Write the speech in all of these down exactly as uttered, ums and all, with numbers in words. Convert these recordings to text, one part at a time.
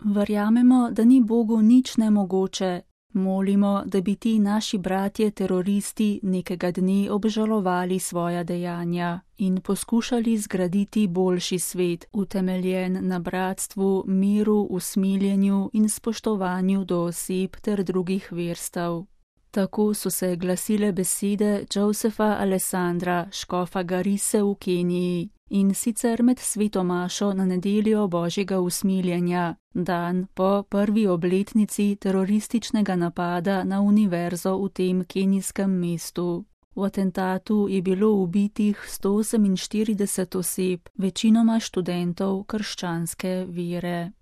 Verjamemo, da ni Bogu nič nemogoče. Molimo, da bi ti naši bratje teroristi nekega dne obžalovali svoja dejanja in poskušali zgraditi boljši svet, utemeljen na bratstvu, miru, usmiljenju in spoštovanju do oseb ter drugih verstev. Tako so se glasile besede Josefa Alessandra, škofa Garise v Keniji, in sicer med sveto mašo na nedeljo Božjega usmiljenja, dan po prvi obletnici terorističnega napada na univerzo v tem kenijskem mestu. V atentatu je bilo ubitih sto oseminštirideset oseb, večinoma študentov krščanske vere.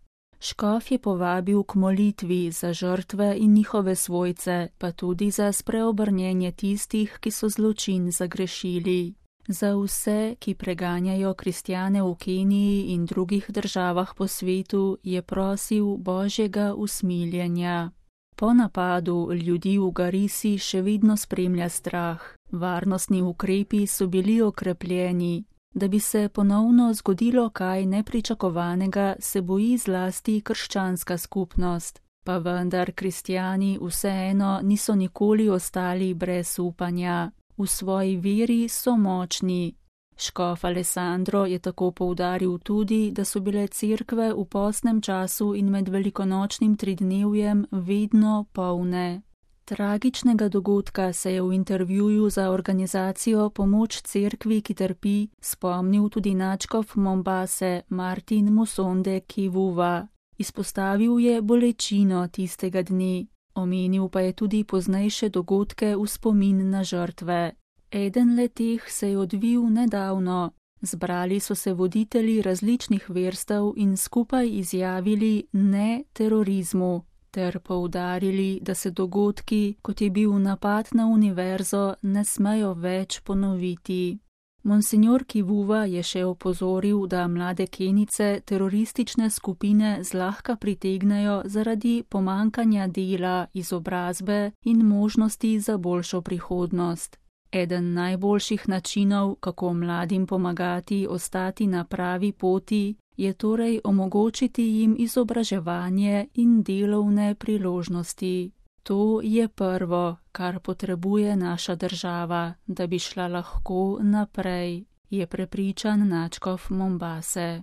Škof je povabil k molitvi za žrtve in njihove svojce, pa tudi za spreobrnjenje tistih, ki so zločin zagrešili. Za vse, ki preganjajo kristjane v Keniji in drugih državah po svetu, je prosil Božjega usmiljenja. Po napadu ljudi v Garisi še vedno spremlja strah. Varnostni ukrepi so bili okrepljeni. Da bi se ponovno zgodilo kaj nepričakovanega, se boji zlasti krščanska skupnost, pa vendar kristjani vseeno niso nikoli ostali brez upanja. V svoji veri so močni. Škof Alessandro je tako poudaril tudi, da so bile cerkve v postnem času in med velikonočnim tridnevjem vedno polne. Tragičnega dogodka se je v intervjuju za organizacijo Pomoč cerkvi, ki trpi, spomnil tudi nadškof Mombase Martin Musonde Kivuva. Izpostavil je bolečino tistega dne, omenil pa je tudi poznejše dogodke v spomin na žrtve. Eden leteh se je odvil nedavno. Zbrali so se voditelji različnih verstev in skupaj izjavili ne terorizmu, ter poudarili, da se dogodki, kot je bil napad na univerzo, ne smejo več ponoviti. Monsignor Kivuva je še opozoril, da mlade Kenijce teroristične skupine zlahka pritegnejo zaradi pomankanja dela, izobrazbe in možnosti za boljšo prihodnost. Eden najboljših načinov, kako mladim pomagati ostati na pravi poti, je torej omogočiti jim izobraževanje in delovne priložnosti. To je prvo, kar potrebuje naša država, da bi šla lahko naprej, je prepričan nadškof Mombase.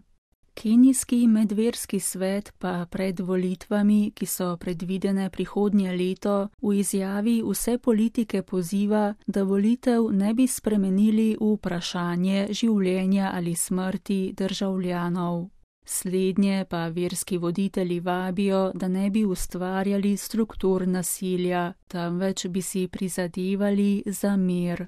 Kenijski medverski svet pa pred volitvami, ki so predvidene prihodnje leto, v izjavi vse politike poziva, da volitev ne bi spremenili v vprašanje življenja ali smrti državljanov. Slednje pa verski voditelji vabijo, da ne bi ustvarjali struktur nasilja, temveč bi si prizadevali za mir.